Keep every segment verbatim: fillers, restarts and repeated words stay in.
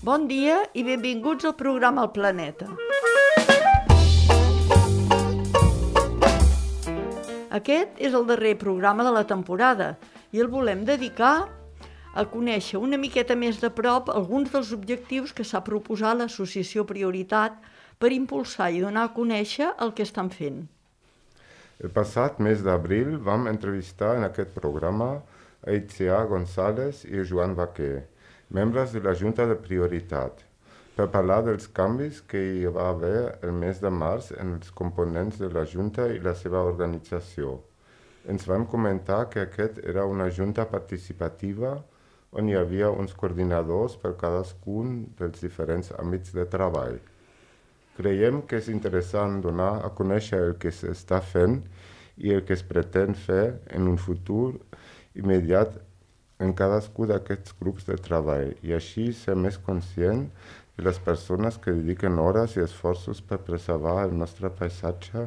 Bon dia i benvinguts al programa El Planeta. Aquest és el darrer programa de la temporada i el volem dedicar a conèixer una miqueta més de prop alguns dels objectius que s'ha proposat l'Associació Prioritat per impulsar i donar a conèixer el que estan fent. El passat mes d'abril vam entrevistar en aquest programa a Itziar González i Joan Vaquer, membres de la Junta de Prioritat, per parlar dels canvis que hi va haver el mes de març en els components de la Junta i la seva organització. Ens vam comentar que aquest era una junta participativa on hi havia uns coordinadors per cadascun dels diferents àmbits de treball. Creiem que és interessant donar a conèixer el que s'està fent i el que es pretén fer en un futur immediat en cadascun d'aquests grups de treball i així ser més conscient de les persones que dediquen hores i esforços per preservar el nostre paisatge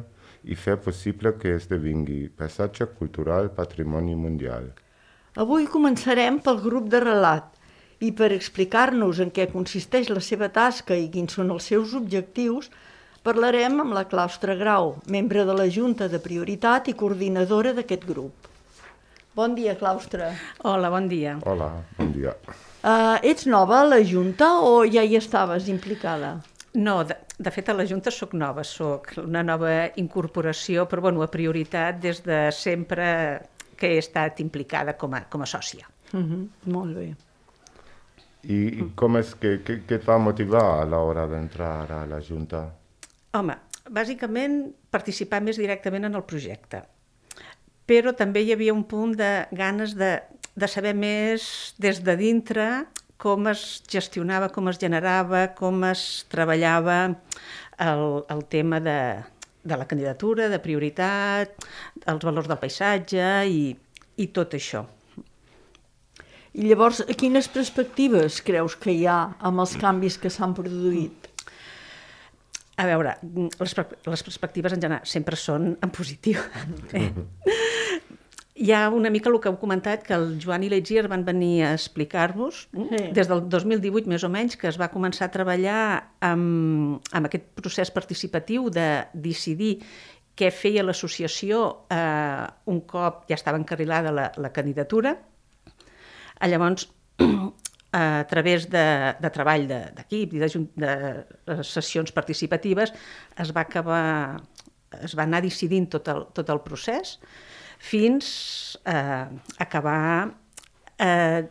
i fer possible que esdevingui paisatge cultural patrimoni mundial. Avui començarem pel grup de relat i per explicar-nos en què consisteix la seva tasca i quins són els seus objectius, parlarem amb la Claustra Grau, membre de la Junta de Prioritat i coordinadora d'aquest grup. Bon dia, Claustra. Hola, bon dia. Hola, bon dia. Uh, ets nova a la Junta o ja hi estaves implicada? No, de, de fet a la Junta sóc nova, sóc una nova incorporació, però bueno, a Prioritat des de sempre que he estat implicada com a, com a sòcia. Uh-huh, molt bé. I, i com és que, que, que et va motivar a l'hora d'entrar a la Junta? Home, bàsicament participar més directament en el projecte, però també hi havia un punt de ganes de, de saber més des de dintre com es gestionava, com es generava, com es treballava el, el tema de, de la candidatura, de prioritat, els valors del paisatge i, i tot això. I llavors, quines perspectives creus que hi ha amb els canvis que s'han produït? A veure, les, les perspectives en general sempre són en positiu. Eh? Hi ha una mica el que heu comentat, que el Joan i l'Itziar van venir a explicar-vos sí. Des del dos mil divuit, més o menys, que es va començar a treballar amb, amb aquest procés participatiu de decidir què feia l'associació eh, un cop ja estava encarrilada la, la candidatura. Llavors, a través de, de treball d'equip i de, de, de sessions participatives es va acabar, es va anar decidint tot el, tot el procés fins a acabar eh,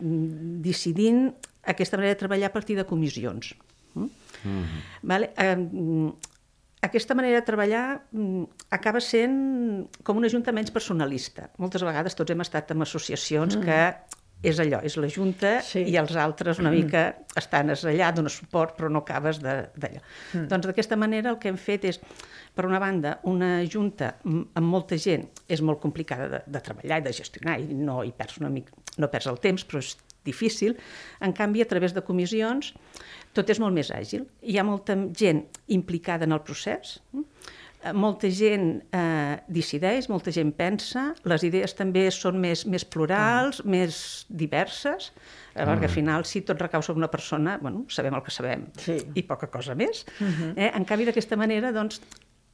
decidint aquesta manera de treballar a partir de comissions. Mm-hmm. Vale? Eh, aquesta manera de treballar acaba sent com una junta menys personalista. Moltes vegades tots hem estat en associacions mm. que és allò, és la Junta sí. I els altres una mica estan allà, donen suport, però no acabes d'allò. Mm. Doncs d'aquesta manera el que hem fet és, per una banda, una Junta amb molta gent és molt complicada de, de treballar i de gestionar i no hi perds una mica, no perds el temps, però és difícil. En canvi, a través de comissions, tot és molt més àgil. Hi ha molta gent implicada en el procés, molta gent eh, decideix, molta gent pensa, les idees també són més, més plurals, mm. més diverses, eh, perquè al final si tot recau sobre una persona, bueno, sabem el que sabem sí. I poca cosa més. Mm-hmm. Eh? En canvi, d'aquesta manera, doncs,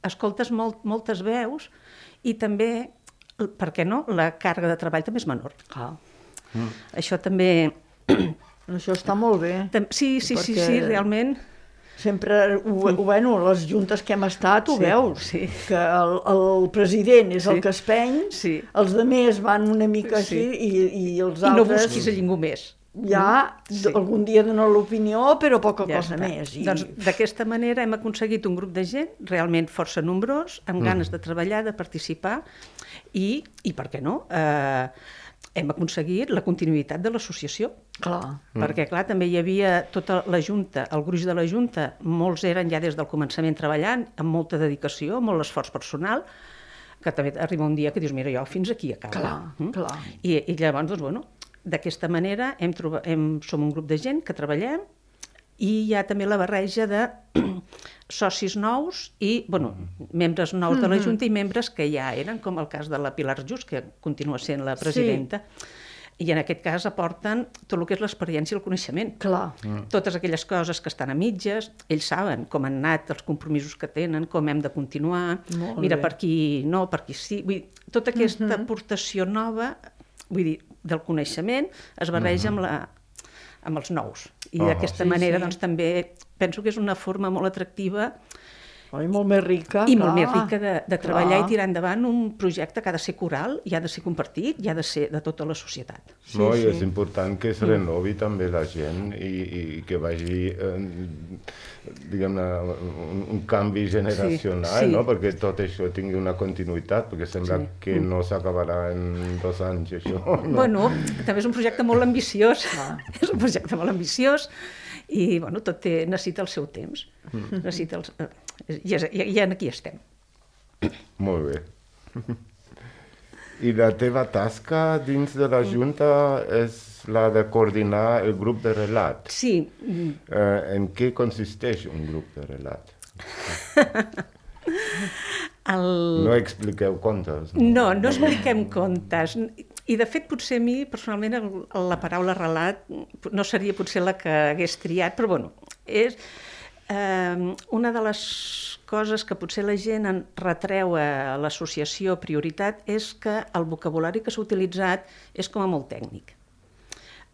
escoltes molt, moltes veus i també, per què no, la càrrega de treball també és menor. Ah. Mm. Això també... Això està molt bé. Sí, sí, perquè... sí, sí, realment... Sempre, ho, bueno, les juntes que hem estat ho sí, veus, sí. Que el, el president és sí. El que es peny, sí. Els demés van una mica sí. Així i, i els I altres... no busquis a ningú més. Ja, sí. Algun dia donen l'opinió, però poca ja cosa està. Més. I... Doncs d'aquesta manera hem aconseguit un grup de gent realment força nombrós, amb mm. ganes de treballar, de participar i, i per què no, eh, hem aconseguit la continuïtat de l'associació. Clar. Perquè, clar, també hi havia tota la Junta, el gruix de la Junta, molts eren ja des del començament treballant, amb molta dedicació, molt esforç personal, que també arriba un dia que dius, mira, jo fins aquí acabo. Clar, mm? clar. I, I llavors, doncs, bueno, d'aquesta manera hem trobat, hem, som un grup de gent que treballem i hi ha també la barreja de socis nous i, bueno, membres nous mm-hmm. de la Junta i membres que ja eren, com el cas de la Pilar Just, que continua sent la presidenta. Sí. I en aquest cas aporten tot el que és l'experiència i el coneixement. Clar. Mm. Totes aquelles coses que estan a mitges, ells saben com han anat els compromisos que tenen, com hem de continuar, Molt mira, bé. per aquí no, per aquí sí. Vull dir, tota aquesta Mhm. aportació nova, vull dir, del coneixement es barreja amb, la, amb els nous. I Ah, d'aquesta sí, manera sí. doncs, també penso que és una forma molt atractiva Oi, molt més rica. i clar. molt més rica de, de treballar Clar. i tirar endavant un projecte que ha de ser coral i ha de ser compartit i ha de ser de tota la societat. Sí, no, sí. i és important que es renovi també la gent i, i que vagi, eh, diguem-ne, un, un canvi generacional, Sí, sí. no? Perquè tot això tingui una continuïtat, perquè sembla Sí. que no s'acabarà en dos anys, això. No? Bueno, també és un projecte molt ambiciós, és un projecte molt ambiciós i bueno, tot té, necessita el seu temps. Mm. Necessita els, eh, i, és, i, i aquí estem. Molt bé. I la teva tasca dins de la Junta és la de coordinar el grup de relat. Sí, mm, Eh, en què consisteix un grup de relat? el... No expliqueu contes. No, no expliquem contes. I, de fet, potser a mi, personalment, el, la paraula relat no seria potser la que hagués triat, però, bueno, és eh, una de les coses que potser la gent en retreu a l'associació Prioritat és que el vocabulari que s'ha utilitzat és com a molt tècnic,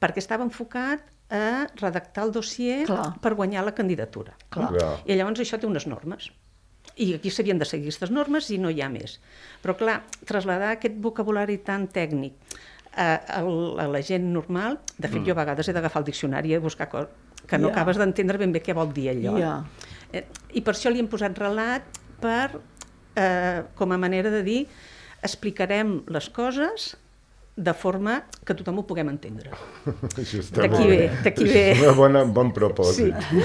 perquè estava enfocat a redactar el dossier Clar. per guanyar la candidatura. Clar. Clar. I llavors això té unes normes. I aquí s'havien de seguir aquestes normes i no hi ha més. Però clar, traslladar aquest vocabulari tan tècnic a, a, a la gent normal, de fet mm. jo a vegades he d'agafar el diccionari i buscar coses que no Ja. acabes d'entendre ben bé què vol dir allò. Ja. Eh, I per això li hem posat relat per, eh, com a manera de dir, explicarem les coses de forma que tothom ho puguem entendre. D'aquí ve, d'aquí ve. És un bon, bon propòsit. Sí.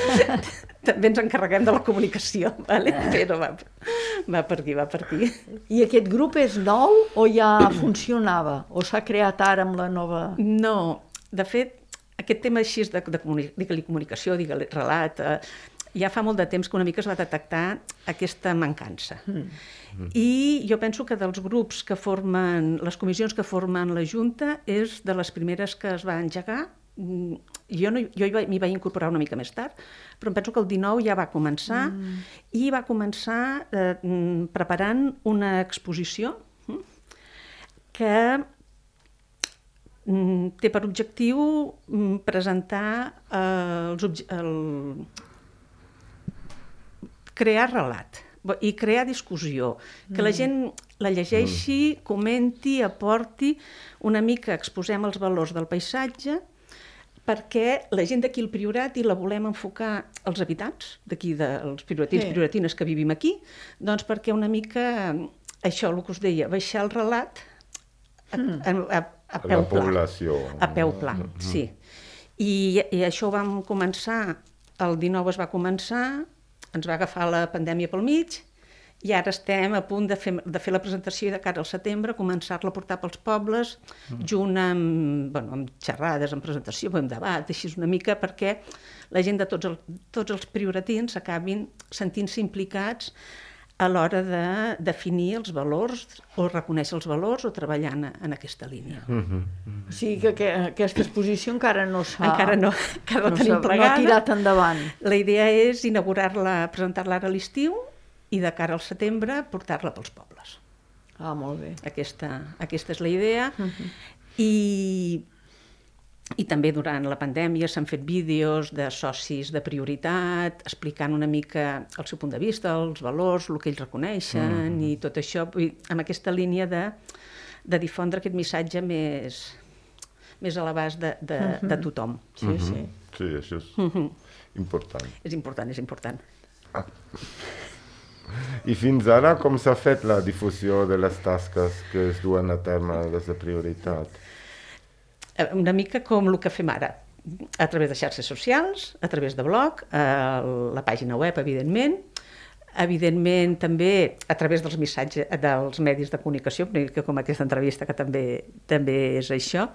També ens encarreguem de la comunicació, vale? Però va, va per aquí, va per aquí. I aquest grup és nou o ja funcionava? O s'ha creat ara amb la nova... No, de fet, aquest tema així de, de comuni digue-li comunicació, digue-li relat, eh, ja fa molt de temps que una mica es va detectar aquesta mancança. Mm. I jo penso que dels grups que formen, les comissions que formen la Junta, és de les primeres que es va engegar. Jo, no, jo m'hi vaig incorporar una mica més tard, però em penso que el dinou ja va començar mm. i va començar eh, preparant una exposició mm, que mm, té per objectiu mm, presentar eh, els obje el... crear relat i crear discussió, que la gent la llegeixi, comenti, aporti, una mica exposem els valors del paisatge, perquè la gent d'aquí al Priorat i la volem enfocar als habitants, d'aquí, dels prioratins i Sí. prioratines que vivim aquí, doncs perquè una mica, això, el que us deia, baixar el relat a, a, a, a A peu la pla. població. A peu pla, sí. I, I això ho vam començar, el dinou es va començar, ens va agafar la pandèmia pel mig, i ara estem a punt de fer, de fer la presentació i de cara al setembre començar-la a portar pels pobles, mm. junt amb, bueno, amb xerrades, amb presentació, amb debat, així una mica, perquè la gent de tots, el, tots els prioratins acabin sentint-se implicats a l'hora de definir els valors o reconèixer els valors o treballar en, en aquesta línia. Mm -hmm. O sigui que, que aquesta exposició encara no s'ha... Encara no, encara no, no tenim s'ha- plegada. No ha tirat endavant. La idea és inaugurar-la, presentar-la ara a l'estiu i de cara al setembre portar-la pels pobles. Ah, molt bé. Aquesta, aquesta és la idea. Uh-huh. I, I també durant la pandèmia s'han fet vídeos de socis de prioritat, explicant una mica el seu punt de vista, els valors, el que ells reconeixen uh-huh. i tot això, amb aquesta línia de, de difondre aquest missatge més, més a l'abast de, de, uh-huh. de tothom. Sí, Mm-hmm. sí. Sí, això és Uh-huh. important. És important, és important. Ah. I fins ara, com s'ha fet la difusió de les tasques que es duen a terme des de Prioritat? Una mica com el que fem ara, a través de xarxes socials, a través de blog, a la pàgina web, evidentment, evidentment també a través dels missatges dels medis de comunicació, com aquesta entrevista que també també és això,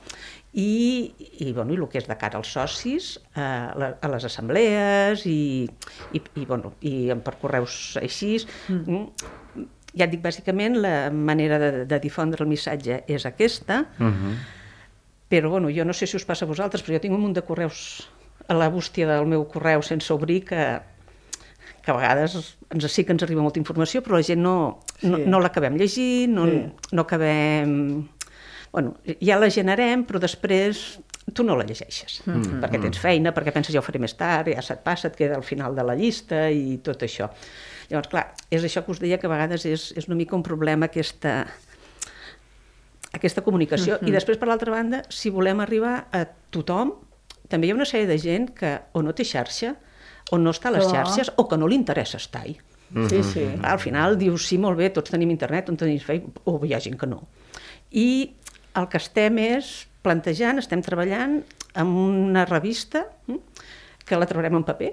i, i, bueno, i el que és de cara als socis, a, la, a les assemblees i, i, i, bueno, i per correus així. Mm. Ja et dic, bàsicament, la manera de, de difondre el missatge és aquesta, mm-hmm. Però bueno, jo no sé si us passa a vosaltres, però jo tinc un munt de correus a la bústia del meu correu sense obrir que, que a vegades ens, sí que ens arriba molta informació, però la gent no, no, Sí. no l'acabem llegint, no, Sí. no acabem... Bueno, ja la generem, però després tu no la llegeixes, mm-hmm. perquè tens feina, perquè penses ja ho faré més tard, ja se't passa, et queda al final de la llista i tot això. Llavors, clar, és això que us deia, que a vegades és, és una mica un problema aquesta... aquesta comunicació. Mm-hmm. I després, per l'altra banda, si volem arribar a tothom, també hi ha una sèrie de gent que o no té xarxa, o no està a les Clar. xarxes, o que no li interessa estar-hi. Sí, sí. Al final dius, sí, molt bé, tots tenim internet, on tenim Facebook, o hi ha gent que no. I el que estem és plantejant, estem treballant en una revista hm, que la traurem en paper.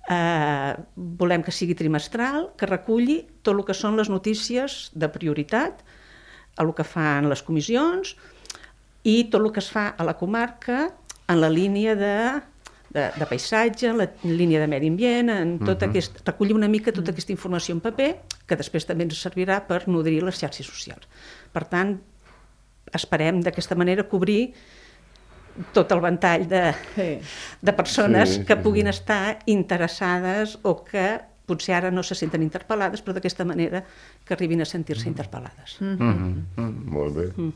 Uh, volem que sigui trimestral, que reculli tot el que són les notícies de prioritat, el que fan les comissions i tot el que es fa a la comarca en la línia de, de, de paisatge, en la línia de medi ambient, en tot uh-huh. aquest, recollir una mica tota aquesta informació en paper, que després també ens servirà per nodrir les xarxes socials. Per tant, esperem d'aquesta manera cobrir tot el ventall de, Sí. de persones Sí, que sí, puguin sí. estar interessades o que potser ara no se senten interpel·lades, però d'aquesta manera que arribin a sentir-se interpel·lades. Mm -hmm. Mm, molt bé. Mm.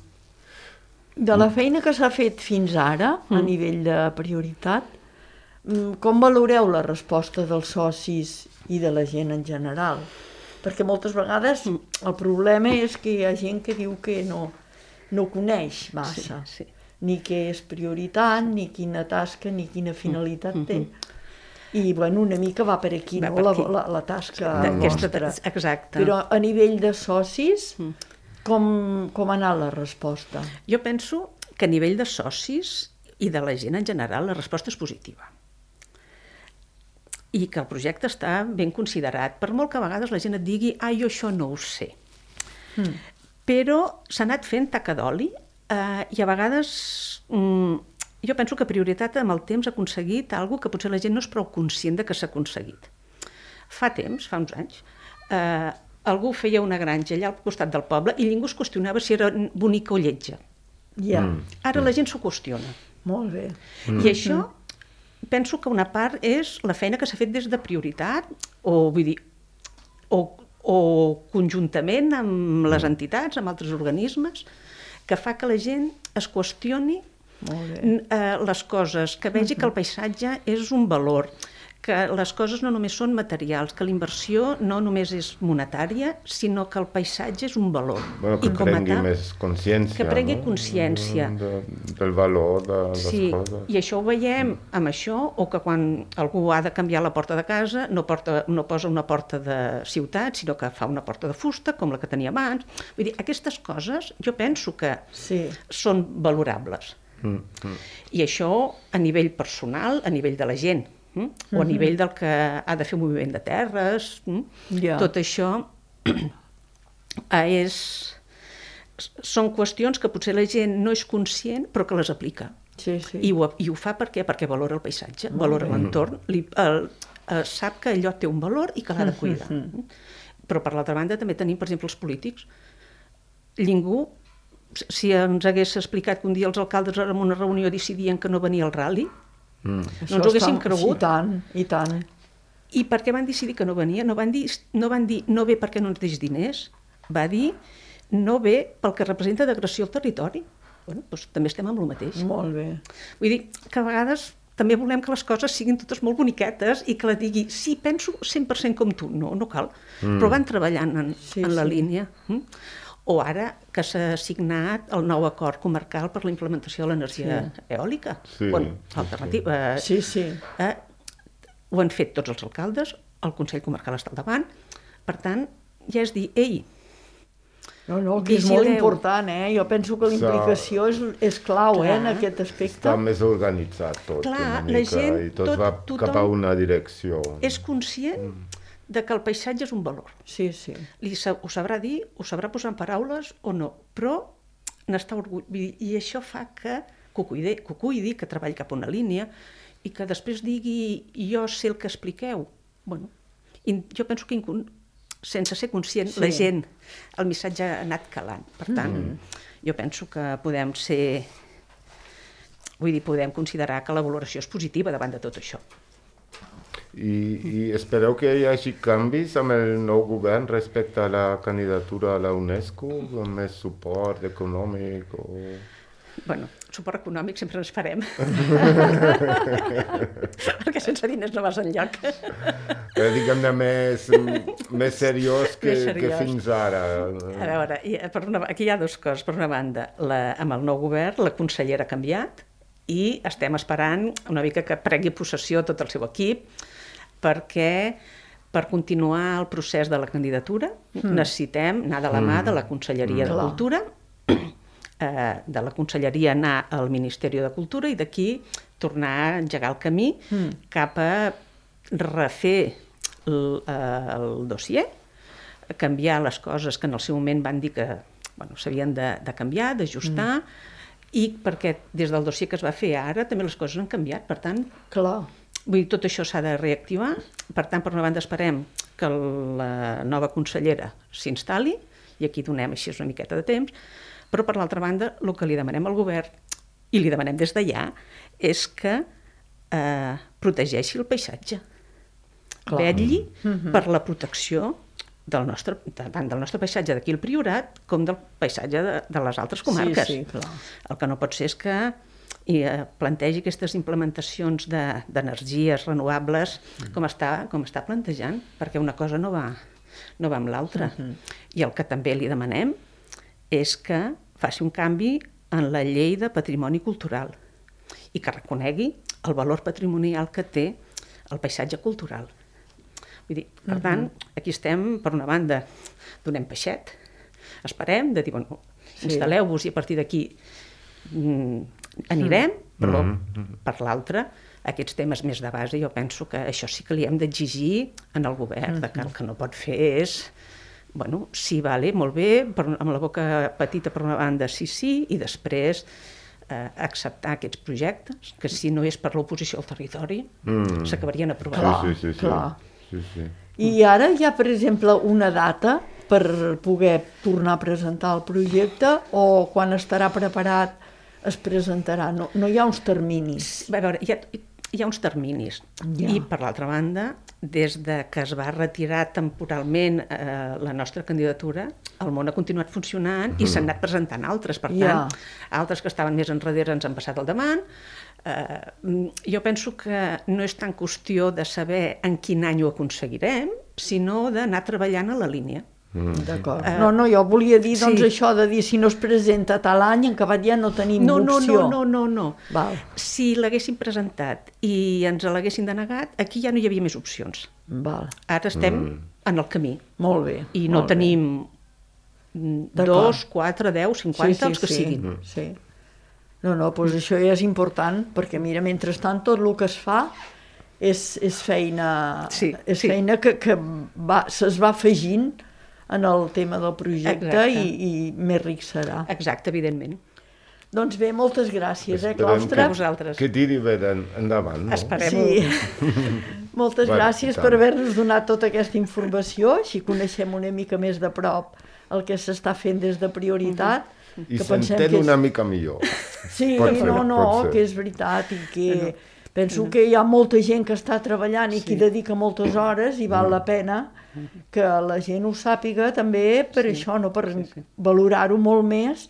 De la feina que s'ha fet fins ara, a nivell de prioritat, mm, com valoreu la resposta dels socis i de la gent en general? Perquè moltes vegades el problema és que hi ha gent que diu que no, no coneix massa, Sí, sí. ni què és prioritat, ni quina tasca, ni quina finalitat té. I, bueno, una mica va per aquí, Va no?, per la, aquí. la, la tasca D'aquesta- vostra. exacte. Però a nivell de socis, com, com ha anat la resposta? Jo penso que a nivell de socis i de la gent en general la resposta és positiva. I que el projecte està ben considerat, per molt que a vegades la gent et digui ah, jo això no ho sé. Mm. Però s'ha anat fent taca d'oli eh, i a vegades mm, jo penso que prioritat amb el temps ha aconseguit alguna que potser la gent no és prou conscient de que s'ha aconseguit. Fa temps, fa uns anys, eh, algú feia una granja allà al costat del poble i ningú es qüestionava si era bonica o lletja. Ja, Mm. Ara la gent s'ho qüestiona. molt bé. Mm. I això penso que una part és la feina que s'ha fet des de prioritat o, vull dir, o, o conjuntament amb les entitats, amb altres organismes, que fa que la gent es qüestioni Molt bé. n- eh, les coses, que vegi que el paisatge és un valor, que les coses no només són materials, que la inversió no només és monetària, sinó que el paisatge és un valor. Bueno, que I com a prengui tal, més consciència, que prengui no? consciència. De, del valor de les Sí, coses. i això ho veiem amb això, o que quan algú ha de canviar la porta de casa no, porta, no posa una porta de ciutat, sinó que fa una porta de fusta, com la que tenia abans. Vull dir, aquestes coses jo penso que Sí. són valorables. Mm, mm. I això a nivell personal, a nivell de la gent, mm? o a nivell del que ha de fer un moviment de terres, mm? Ja. tot això eh, és... són qüestions que potser la gent no és conscient però que les aplica. Sí, sí. I ho, I ho fa per què? Perquè valora el paisatge, valora l'entorn, li, el, el, sap que allò té un valor i que l'ha de cuidar. Però per l'altra banda també tenim, per exemple, els polítics. Ningú, si ens hagués explicat que un dia els alcaldes en una reunió decidien que no venia el rally, Mm. no ens ho haguéssim està- cregut. I tant, i tant. I per què van decidir que no venia? No van dir no, van dir, no ve perquè no ens deix diners, va dir no ve pel que representa d'agressió al territori. Bueno, doncs també estem amb el mateix. Molt bé. Vull dir que a vegades també volem que les coses siguin totes molt boniquetes i que la digui, sí, penso cent per cent com tu. No, no cal. Mm. Però van treballant en, Sí, en la sí. línia. Mm? O ara que s'ha signat el nou acord comarcal per la implementació de l'energia Sí. eòlica. Sí, Bueno, sí, alternativa. Eh, Sí, sí. eh, ho han fet tots els alcaldes, el Consell Comarcal està al davant, per tant, ja és dir, ei, No, no, que és molt Vigileu. important, eh? Jo penso que la implicació és, és clau, eh, en Clar. aquest aspecte. Està més organitzat tot, Clar, una la mica, gent, i tot, tot- va tothom cap a una direcció. és conscient de que el paisatge és un valor. Sí, sí. Li sa- ho sabrà dir, ho sabrà posar en paraules o no, però n'està orgull... I això fa que, que, ho cuidi, que ho cuidi, que treballi cap a una línia i que després digui jo sé el que expliqueu. Bueno, i jo penso que incon... sense ser conscient, Sí. sí. la gent, el missatge ha anat calant. Per tant, mm. jo penso que podem ser vull dir, podem considerar que la valoració és positiva davant de tot això. I, i espereu que hi hagi canvis amb el nou govern respecte a la candidatura a la UNESCO, amb més suport econòmic o... Bueno, suport econòmic sempre ens farem. Perquè sense diners no vas enlloc. Eh, diguem-ne més, més seriós que, Més seriós. que fins ara. A veure, per una, aquí hi ha dues coses. Per una banda, la, amb el nou govern, la consellera ha canviat i estem esperant una mica que pregui possessió tot el seu equip, perquè per continuar el procés de la candidatura mm. necessitem anar de la mà de la Conselleria mm. de Cultura, eh, de la Conselleria anar al Ministeri de Cultura i d'aquí tornar a engegar el camí mm. cap a refer el, el dossier, canviar les coses que en el seu moment van dir que bueno, s'havien de, de canviar, d'ajustar, mm. i perquè des del dossier que es va fer ara també les coses han canviat, per tant... Clar. Vull dir, tot això s'ha de reactivar, per tant, per una banda esperem que la nova consellera s'instal·li, i aquí donem així una miqueta de temps, però per l'altra banda, el que li demanem al govern, i li demanem des d'allà, és que eh, protegeixi el paisatge. Clar. Vetlli mm-hmm. per la protecció del nostre, tant del nostre paisatge d'aquí al Priorat com del paisatge de, de les altres comarques. Sí, sí, clar. El que no pot ser és que i eh, plantegi aquestes implementacions d'energies de, renovables mm. com, està, com està plantejant, perquè una cosa no va, no va amb l'altra. Mm-hmm. I el que també li demanem és que faci un canvi en la llei de patrimoni cultural i que reconegui el valor patrimonial que té el paisatge cultural. Vull dir, per mm-hmm. tant, aquí estem, per una banda, donem peixet, esperem, de dir, bueno, sí. instal·leu-vos i a partir d'aquí mm, anirem, però mm-hmm. per l'altra, aquests temes més de base, jo penso que això sí que li hem d'exigir en el govern, mm-hmm. que el que no pot fer és, bueno, sí, vale, molt bé, per, amb la boca petita per una banda, sí, sí, i després eh, acceptar aquests projectes, que si no és per l'oposició al territori, mm. s'acabarien aprovant. Clar, sí, sí, sí, clar. Sí, sí. I ara hi ha, per exemple, una data per poder tornar a presentar el projecte o quan estarà preparat es presentarà? No, no hi ha uns terminis? A veure, hi ha, hi ha uns terminis. Ja. I, per l'altra banda, des de que es va retirar temporalment eh, la nostra candidatura, el món ha continuat funcionant mm. i s'han anat presentant altres. Per tant, ja. altres que estaven més enrere ens han passat al davant. Eh, jo penso que no és tan qüestió de saber en quin any ho aconseguirem, sinó d'anar treballant a la línia. Mm. D'acord. Uh, no, no, jo volia dir doncs sí. això de dir si no es presenta tal any, en acabat ja no tenim no, opció. No, no, no, no. no. Val. Si l'haguessin presentat i ens l'haguessin denegat, aquí ja no hi havia més opcions. Val. Ara estem mm. en el camí. Molt bé. I no molt tenim bé. dos, quatre, deu, cinquanta, sí, sí, els que sí. siguin. Mm. Sí. No, no, doncs això ja és important, perquè mira, mentrestant tot el que es fa és, és feina, sí, és sí. feina que, que va, se's va afegint en el tema del projecte i, i més ric serà. Exacte, evidentment. Doncs bé, moltes gràcies, eh, Esperem Claustre? Que, vosaltres. Que tiri bé endavant, no? Esperem-ho. Sí. Moltes bueno, gràcies per haver-nos donat tota aquesta informació, així coneixem una mica més de prop el que s'està fent des de Prioritat. Uh-huh. I s'entén és... una mica millor. Sí, pot ser, no, no, que és veritat i que... No. Penso que hi ha molta gent que està treballant i sí. que hi dedica moltes hores i val la pena que la gent ho sàpiga també per sí. això, no per sí, sí. valorar-ho molt més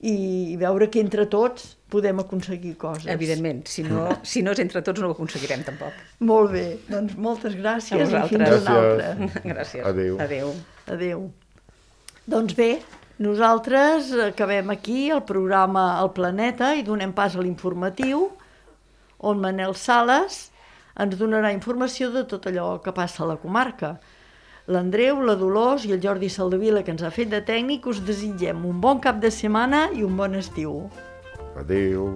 i veure que entre tots podem aconseguir coses. Evidentment, si no, si no és entre tots no ho aconseguirem tampoc. Molt bé, doncs moltes gràcies i fins una altra. Gràcies. Adéu. Adéu. Adéu. Doncs bé, nosaltres acabem aquí el programa El Planeta i donem pas a l'informatiu on Manel Sales ens donarà informació de tot allò que passa a la comarca. L'Andreu, la Dolors i el Jordi Saldavila, que ens ha fet de tècnic, us desitgem un bon cap de setmana i un bon estiu. Adéu.